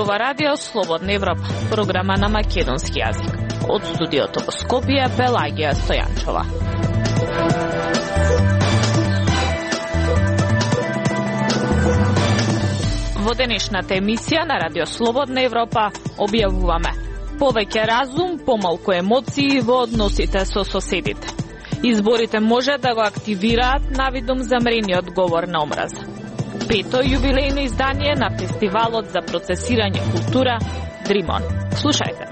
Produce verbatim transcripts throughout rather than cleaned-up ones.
зборува Радио Слободна Европа, програма на македонски јазик. Од студиото во Скопје, Пелагија Стојанчова. Во денешната емисија на Радио Слободна Европа објавуваме повеќе разум, помалку емоции во односите со соседите. Изборите може да го активираат навидум замрениот говор на омраза. Пето јубилејно издание на фестивалот за процесирање култура Дримон. Слушајте.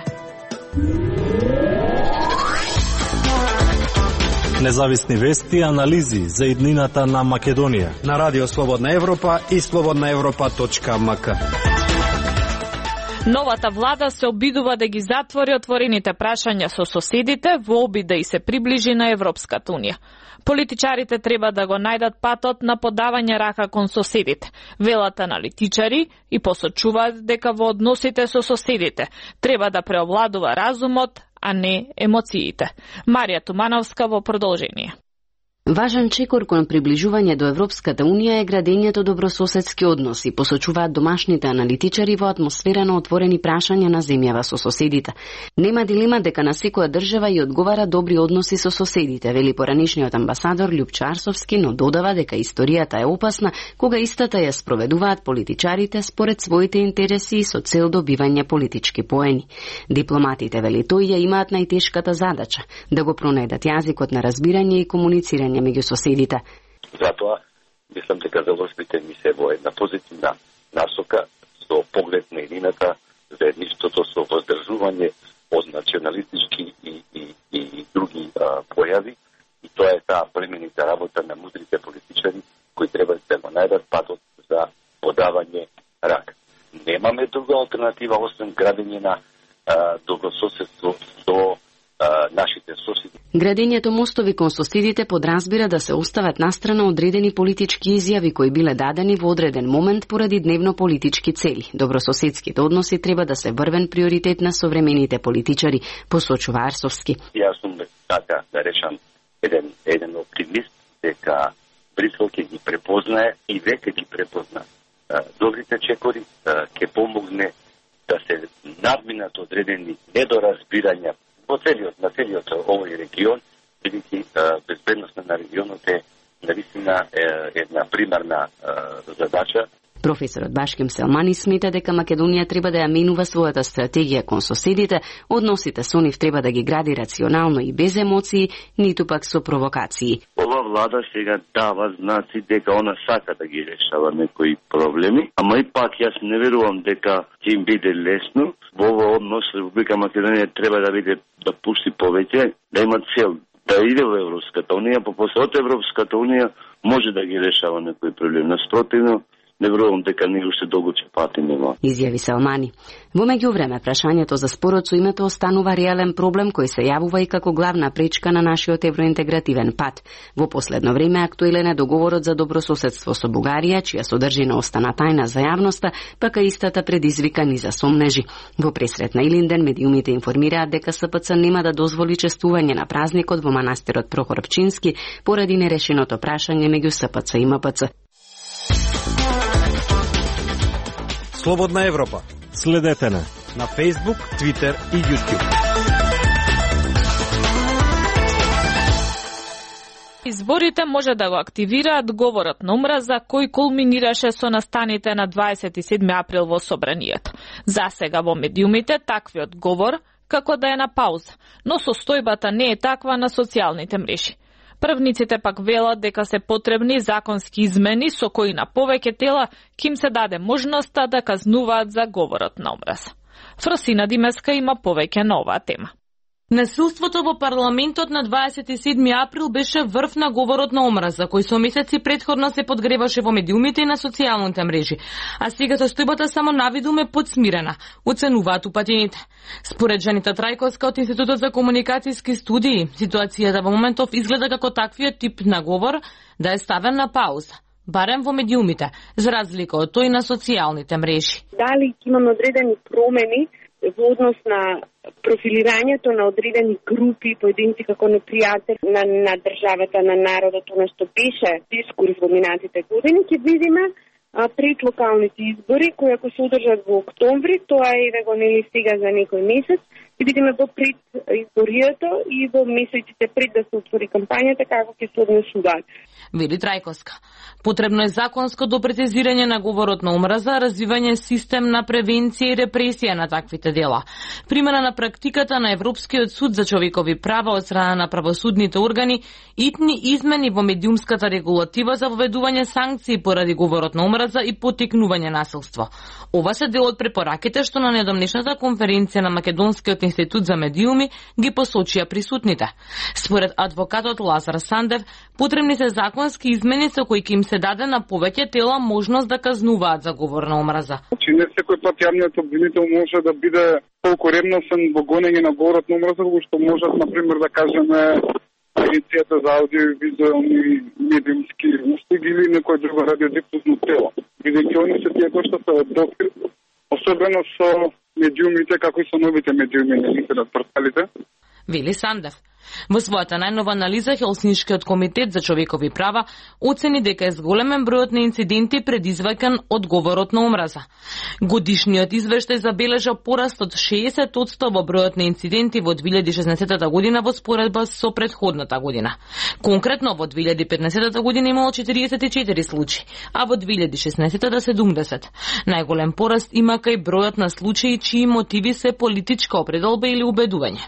Независни вести и анализи за иднината на Македонија на Радио Слободна Европа и слободна европа точка ем ка. Новата влада се обидува да ги затвори отворените прашања со соседите во обид да и се приближи на Европската унија. Политичарите треба да го најдат патот на подавање рака кон соседите, велат аналитичари и посочуваат дека во односите со соседите треба да преовладува разумот, а не емоциите. Марија Тумановска во продолжение. Важен чекор кон приближување до Европската унија е градењето добрососедски односи, посочуваат домашните аналитичари во атмосфера на отворени прашања на земјава со соседите. Нема дилема дека на секоја држава и одговара добри односи со соседите, вели поранишниот амбасадор Љупчо Арсовски, но додава дека историјата е опасна кога истата ја спроведуваат политичарите според своите интереси и со цел добивање политички поени. Дипломатите, вели тој, ја имаат најтешката задача да го пронајдат јазикот на разбирање и комуницирање меѓу соседите. Затоа, мислам дека заложбите ми се во една позитивна насока со поглед на едината, заедништвото со воздржување од националистички и, и, и други а, појави. И тоа е таа племенита работа на мудрите политичари кои треба да го најдат патот за подавање рак. Немаме друга алтернатива освен градење на а, добрососедство со нашите соседи. Градењето мостови кон соседите подразбира да се остават настрана одредени политички изјави кои биле дадени во одреден момент поради дневно политички цели. Добрососедските односи треба да се врвен приоритет на современите политичари, посочува Арсовски. Јас сум така да речам еден еден оптимист дека Брисел ќе ги препознае и веќе ги препозна добрите чекори, ќе помогне да се надминат одредени недоразбирања во целиот, на целиот овој регион, бидејќи безбедноста на регионот е навистина една примарна задача. Професорот Башким Селмани смета дека Македонија треба да ја менува својата стратегија кон соседите, односите со нив треба да ги гради рационално и без емоции, ниту пак со провокации. Ова влада сега дава знаци дека она сака да ги решава некои проблеми, ама и пак јас не верувам дека ќе им биде лесно. Во овој однос Република Македонија треба да биде да пушти повеќе, да има цел да иде во Европската унија, по после од Европската унија може да ги решава некои проблеми. Наспротивно, не верувам дека ние уште долго ќе патиме во. Изјави Салмани. Во меѓувреме, прашањето за спорот со името останува реален проблем кој се јавува и како главна пречка на нашиот евроинтегративен пат. Во последно време актуелен е договорот за добрососедство со Бугарија, чија содржина остана тајна за јавноста, пака истата предизвика низа сомнежи. Во пресрет на Илинден медиумите информираат дека С П Ц нема да дозволи честување на празникот во манастирот Прохор Пчински поради нерешеното прашање меѓу С П Ц и М П Ц. Слободна Европа. Следете на на Facebook, Twitter и YouTube. Изборите може да го активираат говорот на омраза кој кулминираше со настаните на дваесет и седми април во собранието. Засега во медиумите таквиот говор како да е на пауза, но состојбата не е таква на социјалните мрежи. Првниците пак велат дека се потребни законски измени со кои на повеќе тела ќе им се даде можноста да казнуваат за говорот на омраза. Фросина Димеска има повеќе на оваа тема. Насилството во парламентот на дваесет и седми април беше врв на говорот на омраза, кој со месеци претходно се подгреваше во медиумите и на социјалните мрежи, а сега состојбата само навидум е подсмирена, оценуваат упатените. Според Жанита Трајковска од Институтот за комуникацијски студии, ситуацијата во моментов изгледа како таквиот тип на говор да е ставен на пауза, барем во медиумите, за разлика од тој на социјалните мрежи. Дали имаме одредени промени во однос на профилирањето на одредени групи, поединци како непријатели на, на државата, на народот, она што беше дискурс во минатите години, ќе видиме а, пред локалните избори, кои ако се одржат во октомври, тоа е еве нели сега за некој месец, ќе бидеме во пред изборијата и во месеците пред да се отвори кампањата како ќе се однесуваат. Вели Трајковска. Потребно е законско допрецизирање на говорот на омраза, развивање систем на превенција и репресија на таквите дела. Примена на практиката на Европскиот суд за човекови права од страна на правосудните органи, итни измени во медиумската регулатива за воведување санкции поради говорот на омраза и поттикнување насилство. Ова се дел од препораките што на недомнешната конференција на Македонскиот институт за медиуми ги посочија присутните. Според адвокатот Лазар Сандев, потребни се законски измени со кои ќе им се даде на повеќе тела можност да казнуваат за говор на омраза. Че не секој пат јавниот обвинител може да биде толку ревносен во гонење на говорот на омраза, во што можат, например, да кажеме Агенцијата за аудио-визуелни медиумски услуги или некој друго радиодифузно тело. Бидејќи они се тие кои што се од допир, особено со медиумите, како и со новите медиуми на интернет порталите. Вели Сандев. Во својата најнова анализа Хелсиншкиот комитет за човекови права оцени дека е зголемен бројот на инциденти предизвикан од говорот на омраза. Годишниот извештај забележа пораст од шеесет одсто во бројот на инциденти во две илјади и шеснаесетта година во споредба со претходната година. Конкретно во две илјади и петнаесетта година имало четириесет и четири случаи, а во две илјади и шеснаесетта седумдесет. Најголем пораст има кај бројот на случаи чии мотиви се политичка определба или убедување.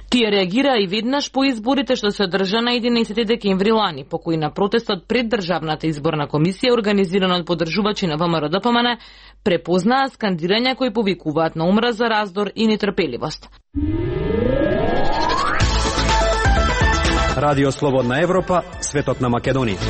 Тие реагира и веднаш по изборите што се одржа на единаесети декември лани, по кои на протестот пред Државната изборна комисија, организирана од поддржувачи на ВМРО Д П М Н, препознаа скандирања кои повикуваат на омраза, раздор и нетрпеливост. Радио Слободна Европа, светот на Македонија.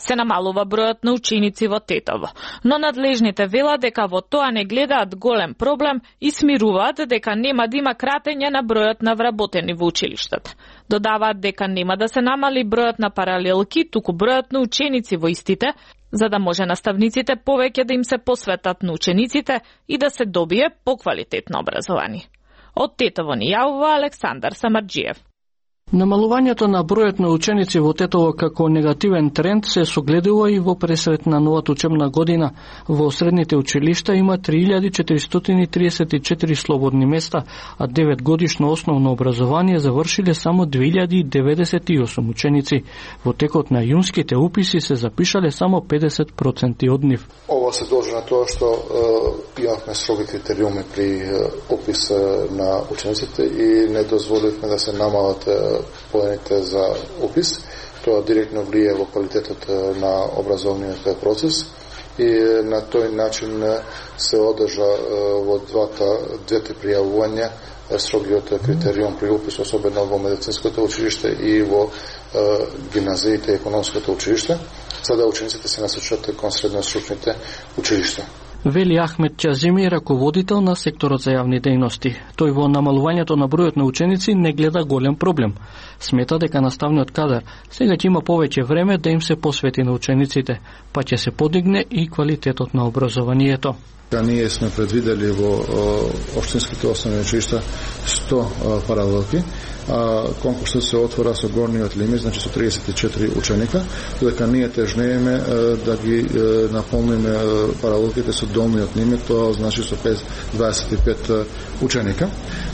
Се намалува бројот на ученици во Тетово, но надлежните велат дека во тоа не гледаат голем проблем и смируваат дека нема да има кратење на бројот на вработени во училиштата. Додаваат дека нема да се намали бројот на паралелки, туку бројот на ученици во истите, за да може наставниците повеќе да им се посветат на учениците и да се добие поквалитетно образование. Од Тетово ни јавува Александар Самарџиев. Намалувањето на бројот на ученици во Тетово како негативен тренд се согледува и во пресрет на новата учебна година. Во средните училишта има три илјади четиристотини триесет и четири слободни места, а девет годишно основно образование завршиле само две илјади деветдесет и осум ученици. Во текот на јунските уписи се запишале само педесет проценти од нив. Ова се должи на тоа што е, имавме строги критериуми при е, опис на учениците и не дозволивме да се намалат поените за опис. Тоа директно влие во квалитетот на образовниот процес и на тој начин се одржа во двата двете пријавувања строгиот критериум при опис, особено во медицинското училиште и во гимназиите и економското училиште, за да учениците се насочат кон средностручните училишта. Вели Ахмед Чазими, раководител на секторот за јавни дејности. Тој во намалувањето на бројот на ученици не гледа голем проблем. Смета дека наставниот кадар сега ќе има повеќе време да им се посвети на учениците, па ќе се подигне и квалитетот на образованието. Ние сме предвидели во општинските основни училишта сто паралелки. Конкурсот се отвора со горниот лимит, значи со триесет и четири ученика, додека ние тежнееме да ги наполниме паралелките со долниот лимит, тоа значи со дваесет и пет ученика.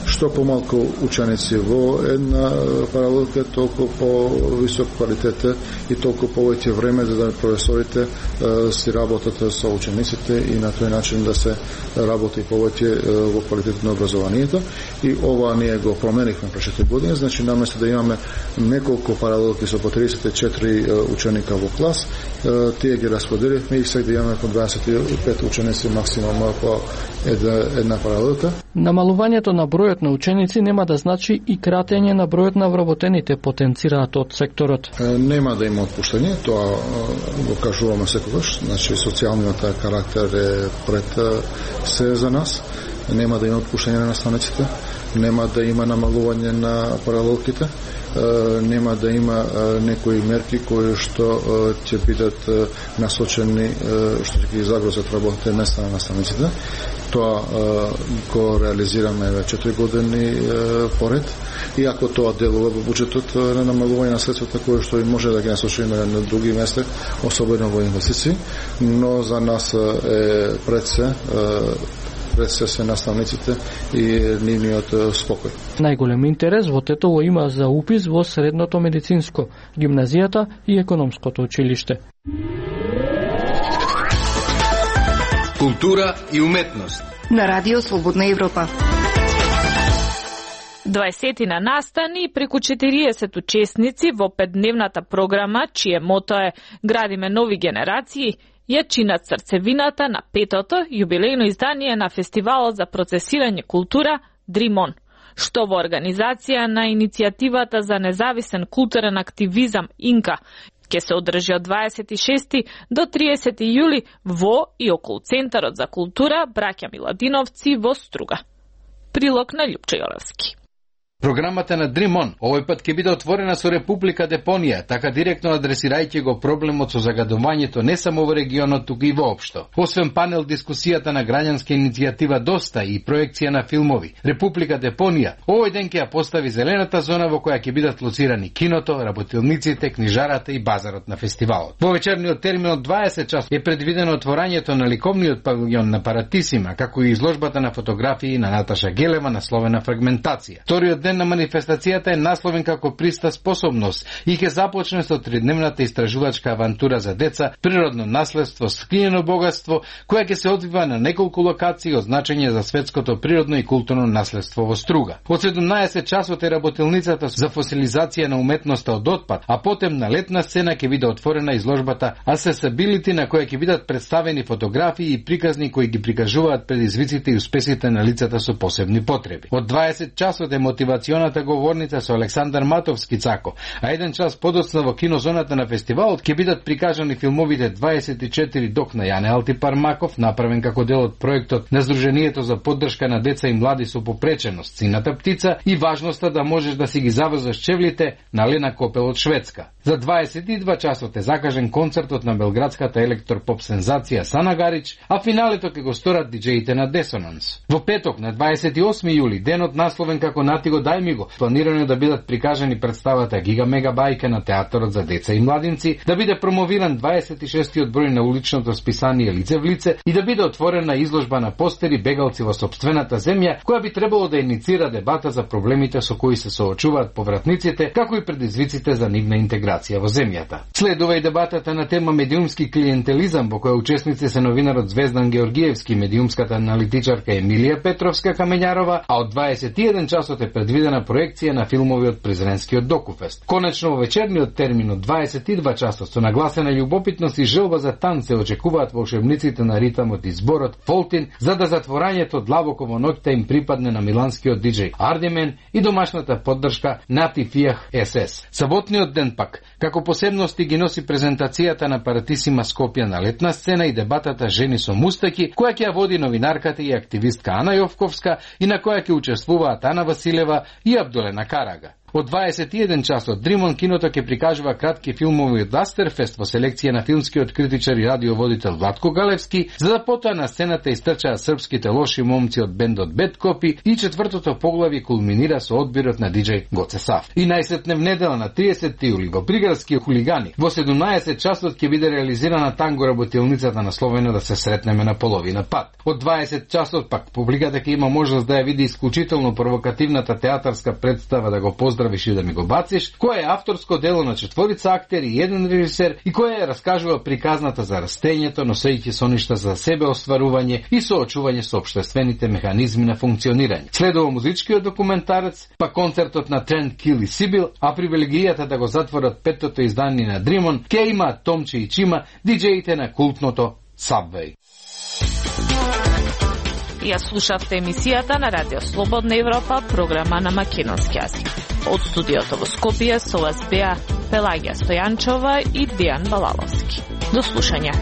Што помалку ученици во една паралелка, толку по-висок квалитет и толку повеќе време за да професорите си работат со учениците и на тој начин да се работи повеќе во квалитетот на образованието. И ова ние го променивме пред година, значи наместо да имаме неколку паралелки со по триесет и четири ученика во клас, тие ги распределивме и сега да имаме по дваесет и пет ученици максимум по една, една паралелка. Намалувањето на бројот на ученици нема да значи и кратење на бројот на вработените, потенцираат од секторот. Нема да има отпуштање, тоа го кажуваме секогаш, значи социјалниот карактер е пред се за нас. Нема да има отпуштање на наставниците, нема да има намалување на паралелките нема да има некои мерки кои што ќе бидат насочени што ќе ги загрозат работните места на наставниците. Тоа го реализираме веќе четири години поред, и ако тоа делува во буџетот на намалување на средствата кои што и може да ги насочиме на други места, особено во инвестиции, но за нас е пред се пред се се наставниците и нивниот спокој. Најголем интерес во Тетово има за упис во средното медицинско, гимназијата и економското училиште. Култура и уметност на Радио Слободна Европа. дваесетина настани и преку четириесет учесници во петдневната програма, чие мото е "Градиме нови генерации", ја чинат срцевината на петото јубилејно издание на Фестивалот за процесирање култура Дримон, што во организација на иницијативата за независен културен активизам Инка ќе се одржи од дваесет и шести до триесети јули во и околу Центарот за култура Браќа Миладиновци во Струга. Прилог на Љупчо Јолевски. Програмата на Дримон овој пат ќе биде отворена со Република Депонија, така директно адресирајќи го проблемот со загадувањето не само во регионот, туку и воопшто. Освен панел дискусијата на граѓанска иницијатива Доста и проекција на филмови, Република Депонија овој ден ќе ја постави зелената зона во која ќе бидат лоцирани киното, работилниците, книжарата и базарот на фестивалот. Во вечерниот термин од дваесет часот е предвидено отворањето на ликовниот павилјон на Паратисима, како и изложбата на фотографии на Наташа Гелева насловена Фрагментација. Вториот ден на манифестацијата е насловен како Приста способност и ќе започне со тридневната истражувачка авантура за деца, природно наследство, скриено богатство, која ќе се одвива на неколку локации од значење за светското природно и културно наследство во Струга. Од седумнаесет часот е работилницата за фосилизација на уметноста од отпад, а потем на летна сцена ќе биде отворена изложбата Accessibility, на која ќе бидат представени фотографии и приказни кои ги прикажуваат предизвиците и успесите на лицата со посебни потреби. Од дваесет часот е мотивационата говорница со Александар Матовски Цако, а еден час подоцна во кинозоната на фестивалот ќе бидат прикажани филмовите дваесет и четири док на Јане Алтипармаков, направен како дел од проектот на Сдруженијето за поддршка на деца и млади со попреченост Сината птица и важноста да можеш да си ги заврзаш чевлите на Лена Копел од Шведска. За дваесет и два часот е закажен концертот на белградската електропоп сензација Сана Гарич, а финалето ќе го сторат диџеите на Десонанс. Во петок на дваесет и осми јули, денот насловен како Нати го дај ми го, планирано е да бидат прикажани представата Гига Мега Бајка на Театарот за деца и младинци, да биде промовиран дваесет и шестиот број на уличното списание Лице в лице и да биде отворена изложба на постери Бегалци во сопствената земја, која би требало да иницира дебата за проблемите со кои се соочуваат повратниците, како и предизвиците за нивна интеграција во земјата. Следува и дебатата на тема медиумски клиентелизам, во која учесници се новинарот Звездан Георгиевски, медиумската аналитичарка Емилија Петровска Камењарова, а од дваесет и еден часот е предвидена проекција на филмови од Презренскиот докуфест. Конечно во вечерниот термин од дваесет и два часот со нагласена љубопитност и желба за танце очекуваат волшебниците на ритамот и зборот Фолтин, за да затворањето длабоко во ноќта им припадне на миланскиот диџеј Ардимен и домашната поддршка Нати Фијах ес ес. Саботниот ден пак, како посебности ги носи презентацијата на Паратисима Скопје на летна сцена и дебатата Жени со мустаки, која ќе ја води новинарката и активистка Ана Јовковска и на која ќе учествуваат Ана Василева и Абдолена Карага. Од дваесет и еден часот Дримон киното ќе прикажува кратки филмови од Астерфест во селекција на филмскиот критичар и радиоводител Владко Галевски, за да потоа на сцената истрчаат српските лоши момци од бендот Бед Копи и четвртото поглави кулминира со одбирот на диџеј Гоце Саф. И најсетне в недела на триесети јули во приградски хулигани во седумнаесет часот ќе биде реализирана танго работилницата насловена Да се сретнеме на половина пат. Од дваесет часот пак публиката ќе има можност да ја види исклучително провокативната театарска представа Да го поздравиш и да ми го бациш, која е авторско дело на четворица актери и еден режисер и која ја раскажува приказната за растењето, носејќи соништа за себе остварување и соочување со општествените механизми на функционирање. Следува музичкиот документарец, па концертот на Трент Кил и Сибил, а привилегијата да го затворат петтото издание на Дримон ќе има Томче и Чима, диџеите на култното Subway. Ја слушавте емисијата на Радио Слободна Европа, програма на македонски јазик. Од студиото во Скопје со вас беа Пелагија Стојанчова и Дијан Балаловски. До слушање.